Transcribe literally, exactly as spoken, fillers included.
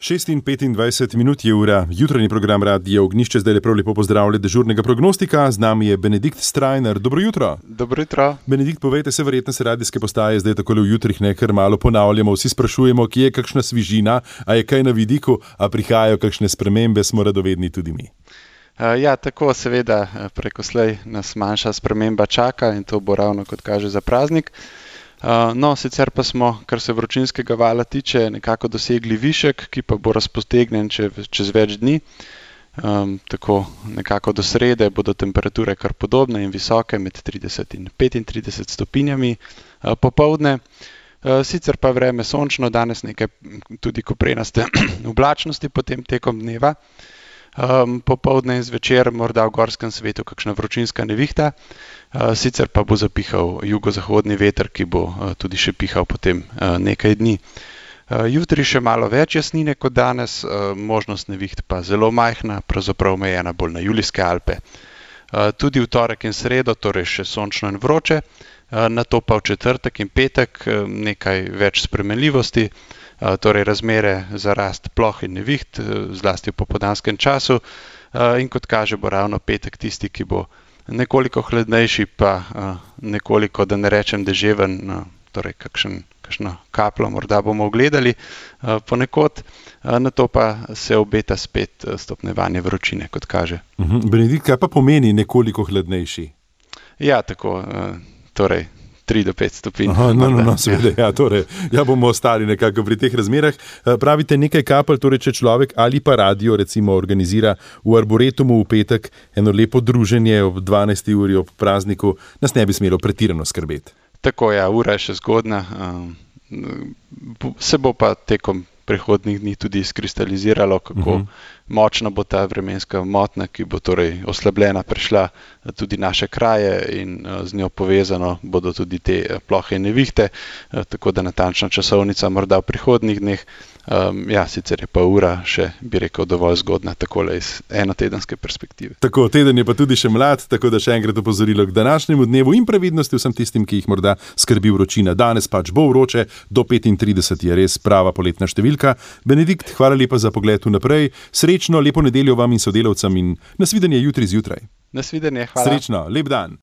šest in petindvajset minut je ura, jutranji program Radia Ognjišče, zdaj lepo lepo pozdravlja dežurnega prognostika, z nami je Benedikt Strajnar. Dobro jutro. Dobro jutro. Benedikt, povejte se, verjetno se radijske postaje zdaj takole v jutrih nekaj malo ponavljamo, vsi sprašujemo, kje je kakšna svižina, a je kaj na vidiku, a prihajajo kakšne spremembe, smo radovedni tudi mi. Ja, tako seveda prekoslej nas manjša sprememba čaka in to bo ravno kot kaže za praznik. No, sicer pa smo, kar se vročinskega vala tiče, nekako dosegli višek, ki pa bo razpotegnen čez več dni. Um, tako nekako do srede bodo temperature kar podobne in visoke, med trideset in petintrideset stopinjami uh, popoldne. Uh, sicer pa vreme sončno, danes nekaj tudi koprenaste oblačnosti potem tekom dneva. Um, popoldne in zvečer morda v gorskem svetu kakšna vročinska nevihta, uh, sicer pa bo zapihal jugozahodni veter, ki bo uh, tudi še pihal potem uh, nekaj dni. Uh, jutri še malo več jasnine kot danes, uh, možnost neviht pa zelo majhna, pravzaprav omejena bolj na Julijske Alpe. Uh, tudi v torek in sredo, torej še sončno in vroče, uh, nato pa v četrtek in petek uh, nekaj več spremenljivosti. Torej razmere za rast ploh in neviht, zlasti v popoldanskem času, in kot kaže bo ravno petek tisti, ki bo nekoliko hladnejši, pa nekoliko, da ne rečem deževen, torej kakšen, kakšno kaplo morda bomo ogledali ponekod, nato pa se obeta spet stopnjevanje vročine, kot kaže. Mhm. Benedikt, kaj pa pomeni nekoliko hladnejši? Ja, tako, torej tri do pet stopinj. Aha, no, no, no, seveda, ja, torej, ja bomo ostali nekako pri teh razmerah. Pravite nekaj kapelj, torej če človek ali pa radio recimo organizira v Arboretumu v petek eno lepo druženje ob dvanajsti uri ob prazniku, nas ne bi smelo pretirano skrbeti. Tako, ja, ura je še zgodna, se bo pa tekom prihodnjih dni tudi izkristaliziralo, kako uh-huh. močna bo ta vremenska motnja, ki bo torej oslabljena prišla tudi naše kraje in z njo povezano bodo tudi te plohe in nevihte, tako da natančna časovnica morda v prihodnjih dneh. Um, ja, sicer je pa ura še, bi rekel, dovolj zgodna, takole iz enotedenske perspektive. Tako, teden je pa tudi še mlad, tako da še enkrat opozorilo k današnjemu dnevu in previdnosti vsem tistim, ki jih morda skrbi vročina. Danes pač bo vroče, do petintrideset je res prava poletna številka. Benedikt, hvala lepa za pogled vnaprej. Srečno, lepo nedeljo vam in sodelavcem in nasvidenje jutri zjutraj. Nasvidenje, hvala. Srečno, lep dan.